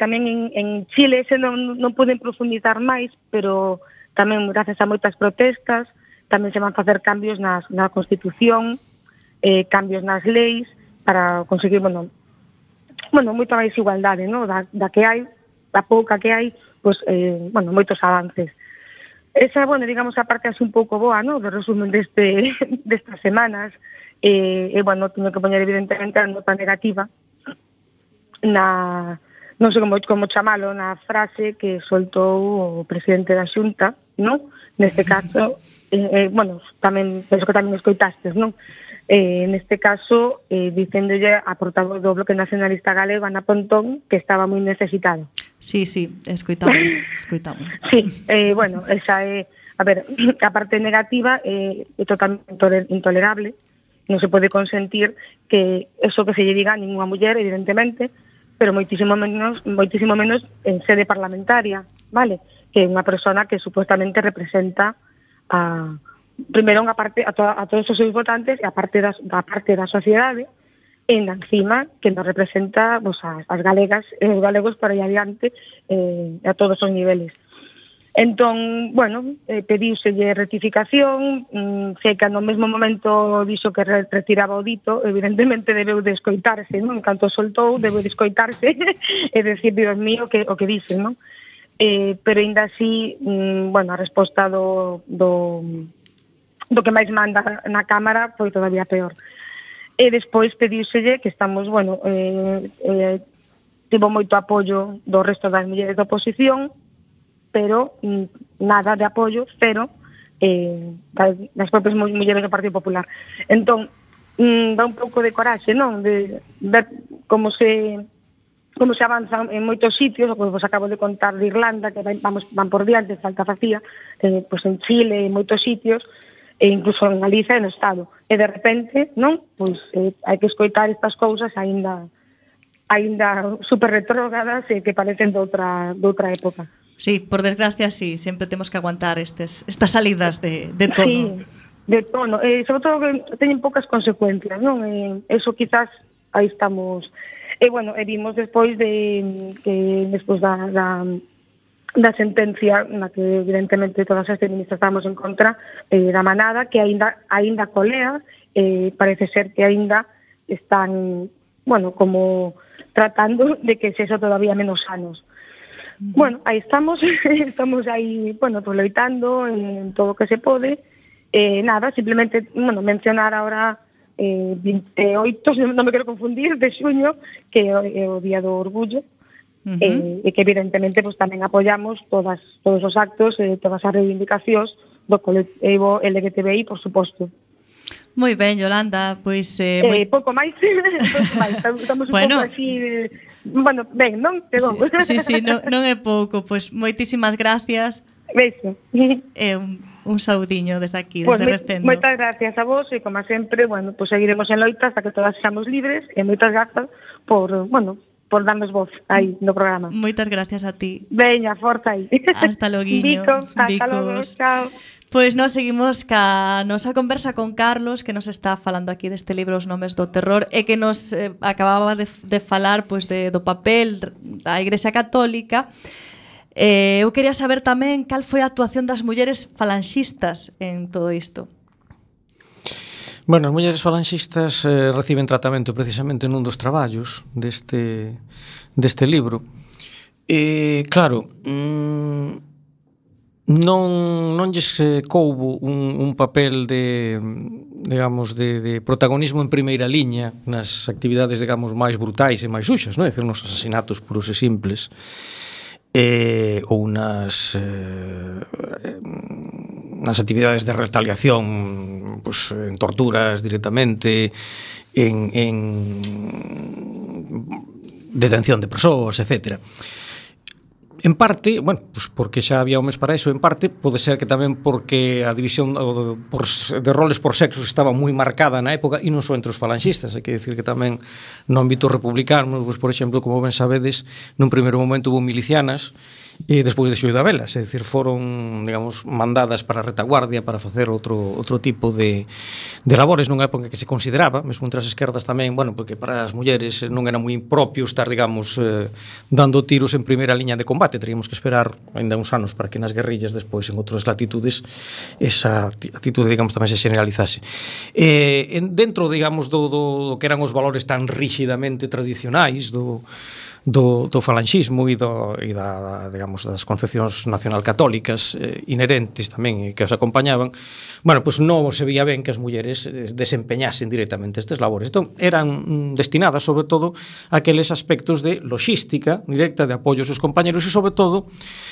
tamén en Chile, ese non poden profundizar máis, pero tamén gracias a moitas protestas, tamén se van facer cambios na Constitución, cambios nas leis, para conseguir, bueno, moita máis igualdade, ¿no? Da que hai, da pouca que hai, pues, bueno, moitos avances. Esa, bueno, digamos, a parte así un pouco boa, ¿no? De resumen destas semanas, bueno, teño que poñer evidentemente a nota negativa non sei como chamalo, na frase que soltou o presidente da Xunta, ¿no? Neste caso, bueno, tamén, penso que tamén escoitastes, non? Neste caso, dicéndolle a portavoz do Bloque Nacionalista Galego, Ana Pontón, que estaba moi necesitado. Sí, escoitamos. Sí, bueno, esa é, a ver, a parte negativa é totalmente intolerable, non se pode consentir que eso que se lle diga a ninguna muller, evidentemente, pero moitísimo menos en sede parlamentaria, vale? Que é unha persona que supuestamente representa primeiro a todos os seus votantes e a parte da sociedade, e encima que nos representa, pues, as galegas e os galegos para aí adiante a todos os niveles. Entón, bueno, pediuselle rectificación, sei que no mesmo momento dixo que retiraba o dito, evidentemente debeu de escoitarse, non? En canto soltou, debeu de escoitarse e decir, Dios mío, o que dice, non? Pero ainda así, bueno, a resposta do que máis manda na Cámara foi todavía peor. E despois pediuselle que estamos, bueno, tivo moito apoio do resto das mulleres da oposición, pero nada de apoio, cero, das propias mulleres do Partido Popular. Entón, dá un pouco de coraxe, non? De ver como se como se avanzan en moitos sitios, como vos acabo de contar de Irlanda, que van por diante, falta facía, pois en Chile, en moitos sitios, e incluso en Galicia e no Estado. E de repente, non? Pois hai que escoitar estas cousas aínda super retrógradas e que parecen de outra época. Sí, por desgracia, sí, sempre temos que aguantar estas salidas de tono. Sí, de tono, sobre todo que teñen poucas consecuencias, non? Eso quizás aí estamos. E bueno, vimos despois da sentencia na que evidentemente todas as feministas estamos en contra da manada, que aínda colea, parece ser que aínda están, bueno, como tratando de que se eso todavía menos sanos. Bueno, aí estamos aí, bueno, pues loitando en todo o que se pode. Nada, simplemente, bueno, mencionar ahora 28, non me quero confundir, de xuño, que é o Día do Orgullo, e que evidentemente pues, tamén apoyamos todos os actos, todas as reivindicacións do colectivo LGTBI, por suposto. Moi ben, Yolanda, pois... pouco máis, estamos un pouco así... Bueno, ben, non? Sí, non é pouco, pois moitísimas gracias. Beijo. Un saudiño desde aquí, desde Recendo. Moitas gracias a vos e, como sempre, bueno, pues seguiremos en loita hasta que todas seamos libres e moitas grazas por darnos voz aí no programa. Moitas gracias a ti. Veña, forza aí. Hasta loguiño. Hasta logo, chao. Pois nós seguimos ca nosa conversa con Carlos, que nos está falando aquí deste libro Os nomes do terror, e que nos acababa de falar pois, do papel da Igrexa Católica. Eu quería saber tamén cal foi a actuación das mulleres falanxistas en todo isto. Bueno, as mulleres falanxistas reciben tratamento precisamente nun dos traballos deste libro. Claro, non lles coubo un papel de protagonismo en primeira liña nas actividades, digamos, máis brutais e máis suxas, non? É dicir, nos asasinatos puros e simples, ou nas actividades de retaliación, pues, en torturas directamente, en detención de persoas, etcétera. En parte, bueno, pues porque xa había homes para eso, en parte pode ser que tamén porque a división de roles por sexos estaba moi marcada na época, e non só entre os falanxistas, hai que decir que tamén no ámbito republicano, pues, por exemplo, como ben sabedes, nun primeiro momento hubo milicianas e despois de Xoi da Velas, é dicir, foron, digamos, mandadas para a retaguardia para facer outro tipo de labores nunha época que se consideraba, mesmo entre as esquerdas tamén, bueno, porque para as mulleres non era moi impropio estar, digamos, dando tiros en primeira liña de combate, teríamos que esperar ainda uns anos para que nas guerrillas despois en outras latitudes esa actitude, digamos, tamén se generalizase. Dentro, digamos, do que eran os valores tan rígidamente tradicionais do falanxismo e digamos, das concepcións nacional-católicas inherentes tamén e que os acompañaban, bueno, pues non se veía ben que as mulleres desempeñasen directamente estes labores. Entón, eran destinadas, sobre todo, a aqueles aspectos de logística directa, de apoio aos seus compañeros e, sobre todo,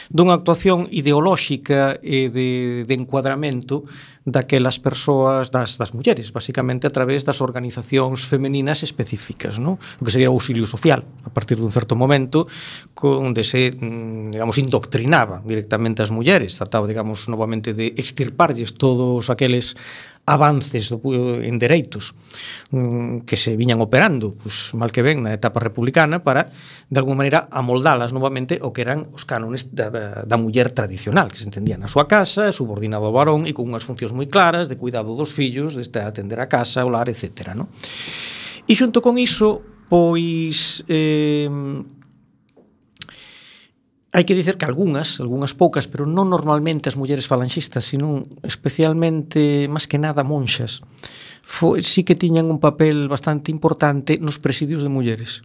dunha actuación ideolóxica e de encuadramento daquelas persoas, das mulleres, basicamente a través das organizacións femeninas específicas, ¿no? O que sería o auxilio social, a partir dun certo momento, onde se, digamos, indoctrinaba directamente as mulleres, trataba, digamos, novamente de extirparlles todos aqueles avances en dereitos que se viñan operando, pues, mal que ben, na etapa republicana, para, de alguma maneira, amoldalas novamente o que eran os cánones da muller tradicional, que se entendía na súa casa, subordinado ao varón e con unhas funcións moi claras de cuidado dos fillos, de atender a casa, o lar, etc. ¿No? E xunto con iso, pois... hai que dicer que algunhas poucas, pero non normalmente as mulleres falanxistas, sino especialmente, máis que nada, monxas, sí que tiñan un papel bastante importante nos presidios de mulleres.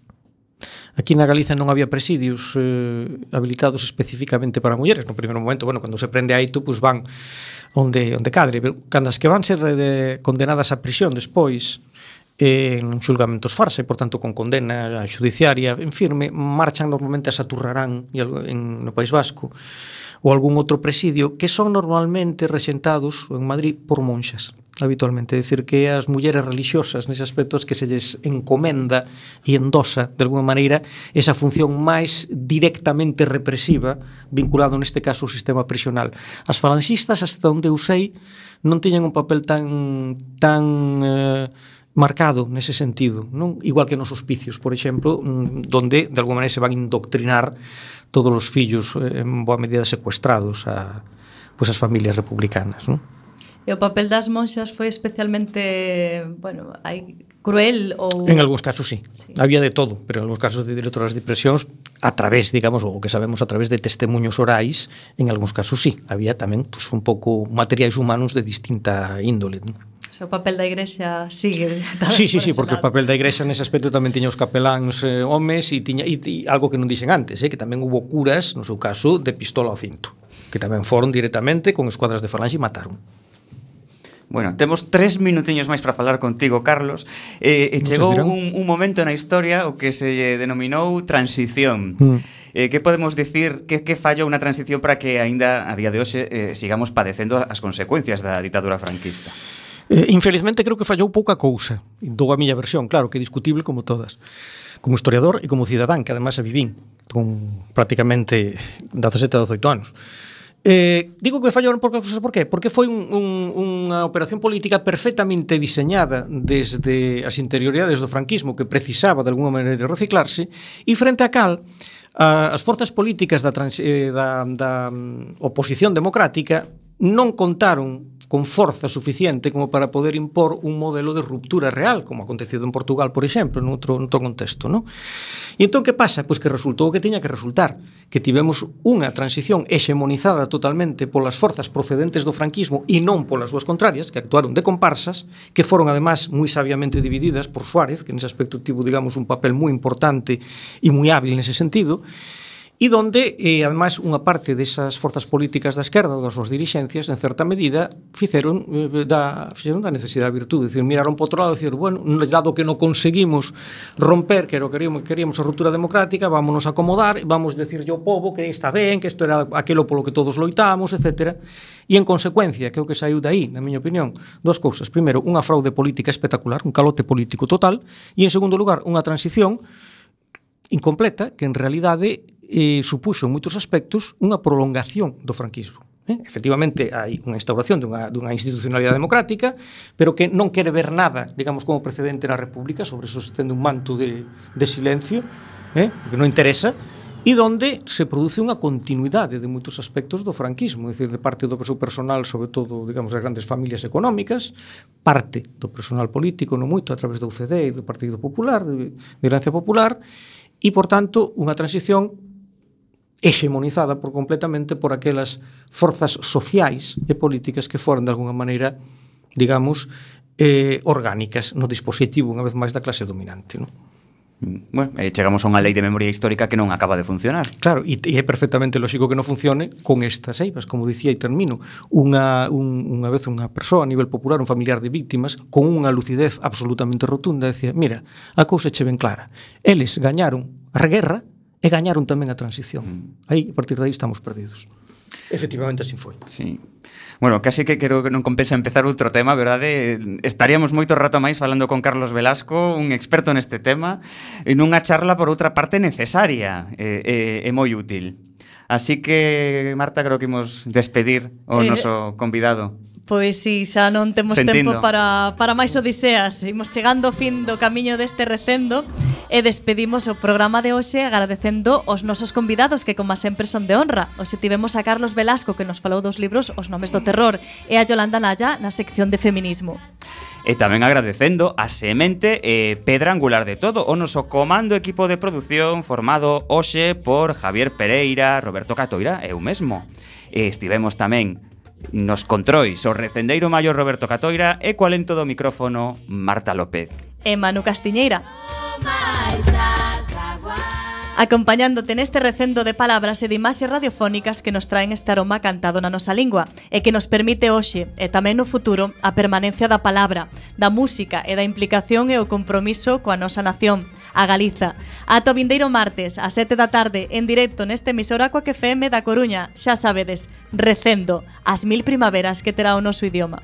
Aquí na Galiza non había presidios habilitados especificamente para mulleres. No primeiro momento, bueno, cando se prende a Aito, pues van onde cadre, pero cando as que van ser condenadas a prisión despois, en xulgamentos farsa e, por tanto, con condena xudiciaria en firme, marchan normalmente a Saturrarán no País Vasco ou algún outro presidio que son normalmente rexentados en Madrid por monxas. habitualmente, é dicir que as mulleres religiosas nese aspecto que se lles encomenda e endosa de alguma maneira esa función máis directamente represiva vinculado neste caso ao sistema prisional. As falanxistas, hasta onde eu sei, non tiñan un papel tan marcado nese sentido, non? Igual que nos hospicios, por exemplo, donde de alguma maneira se van indoctrinar todos os fillos en boa medida secuestrados a as familias republicanas, non? E o papel das monxas foi especialmente, cruel ou... En algúns casos sí. Había de todo, pero en algúns casos de directoras de prisións a través, digamos, o que sabemos a través de testemunhos orais, en algúns casos sí. Había tamén un pouco materiais humanos de distinta índole, non? O papel da Igrexa sigue Sí, porque o papel da Igrexa nese aspecto tamén tiña os capeláns homes e tiña algo que non dixen antes, que tamén hubo curas, no seu caso, de pistola ao cinto, que tamén foron directamente con escuadras de falanxe e mataron. Bueno, temos 3 minutiños máis para falar contigo, Carlos. Chegou un momento na historia o que se denominou transición. Que podemos dicir que fallou na transición para que aínda a día de hoxe sigamos padecendo as consecuencias da ditadura franquista? Infelizmente creo que fallou pouca cousa. Dou a miña versión, claro, que é discutible como todas. Como historiador e como cidadán, que además a vivín con prácticamente 17 a 18 anos. Digo que fallaron por cousas, por qué? Porque foi unha operación política perfectamente diseñada desde as interioridades do franquismo, que precisaba de alguma maneira de reciclarse, e frente a cal as forzas políticas da oposición democrática non contaron con forza suficiente como para poder impor un modelo de ruptura real, como acontecido en Portugal, por exemplo, noutro contexto, non? E entón, que pasa? Pois que resultou o que tiña que resultar, que tivemos unha transición hexemonizada totalmente polas forzas procedentes do franquismo e non polas súas contrarias, que actuaron de comparsas, que foron, además, moi sabiamente divididas por Suárez, que nese aspecto tivo, digamos, un papel moi importante e moi hábil nese sentido, e donde, además, unha parte desas forzas políticas da esquerda ou das súas dirixencias, en certa medida, fixeron da necesidade da virtude, dicir, miraron para outro lado e dicir, bueno, dado que non conseguimos romper, que queríamos a ruptura democrática, vámonos a acomodar, vamos decirlle ao povo que está ben, que isto era aquilo polo que todos loitamos, etc. E, en consecuencia, que é o que saiu dai, na miña opinión, dúas cousas. Primeiro, unha fraude política espectacular, un calote político total, e, en segundo lugar, unha transición incompleta, que en realidade supuxo en moitos aspectos unha prolongación do franquismo. Efectivamente, hai unha instauración dunha institucionalidade democrática, pero que non quere ver nada, digamos, como precedente na República, sobre eso se tende un manto de silencio, porque non interesa, e donde se produce unha continuidade de moitos aspectos do franquismo, é dicir, de parte do seu personal, sobre todo, digamos, as grandes familias económicas, parte do personal político, non moito, a través do UCD e do Partido Popular, de Herencia Popular, e, por tanto, unha transición hexemonizada completamente por aquelas forzas sociais e políticas que foran de alguna maneira, digamos, orgánicas no dispositivo, unha vez máis, da clase dominante, non? Bueno, chegamos a unha lei de memoria histórica que non acaba de funcionar. Claro, e é perfectamente lógico que non funcione con estas eivas, como dicía e termino. Unha vez unha persoa a nivel popular, un familiar de víctimas, con unha lucidez absolutamente rotunda, decía, mira, a cousa che ben clara, eles gañaron a guerra e gañaron tamén a transición. Aí, a partir de aí, estamos perdidos. Efectivamente, así foi. Sí. Bueno, casi que creo que non compensa empezar outro tema, verdade? Estaríamos moito rato máis falando con Carlos Velasco, un experto neste tema, en unha charla, por outra parte, necesaria e moi útil. Así que, Marta, creo que imos despedir o noso convidado. Pois si, xa non temos tempo para máis odiseas. Imos chegando ao fin do camiño deste recendo e despedimos o programa de hoxe agradecendo os nosos convidados que, como sempre, son de honra. Hoxe tivemos a Carlos Velasco, que nos falou dos libros Os nomes do terror, e a Yolanda Naya na sección de feminismo. E tamén agradecendo a semente e pedra angular de todo o noso comando equipo de produción formado hoxe por Javier Pereira, Roberto Catoira e eu mesmo. E estivemos tamén nos controis o recendeiro maior Roberto Catoira e coa lento do micrófono Marta López e Manu Castiñeira, acompañándote neste recendo de palabras e de imaxes radiofónicas que nos traen este aroma cantado na nosa lingua e que nos permite hoxe e tamén no futuro a permanencia da palabra, da música e da implicación e o compromiso coa nosa nación, a Galiza. Ata o vindeiro martes, a 7 da tarde, en directo neste emisora Coac FM da Coruña, xa sabedes, recendo as 1000 primaveras que terá o noso idioma.